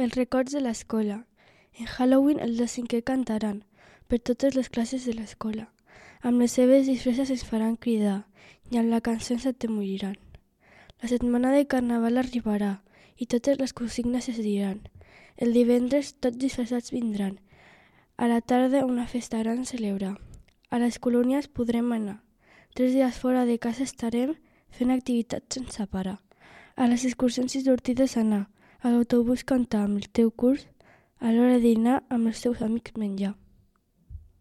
Els records de l'escola. En Halloween els de cinquè cantaran per totes les classes de l'escola. Amb les seves disfresses ens faran cridar i amb la cançó ens atemoriran. La setmana de carnaval arribarà i totes les consignes es diran. El divendres tots disfressats vindran. A la tarda una festa gran celebrar. A les colònies podrem anar. 3 dies fora de casa estarem fent activitats sense parar. A les excursions i sortides anar. A l'autobús cantar amb el teu curs. A l'hora de dinar amb els teus amics menjar.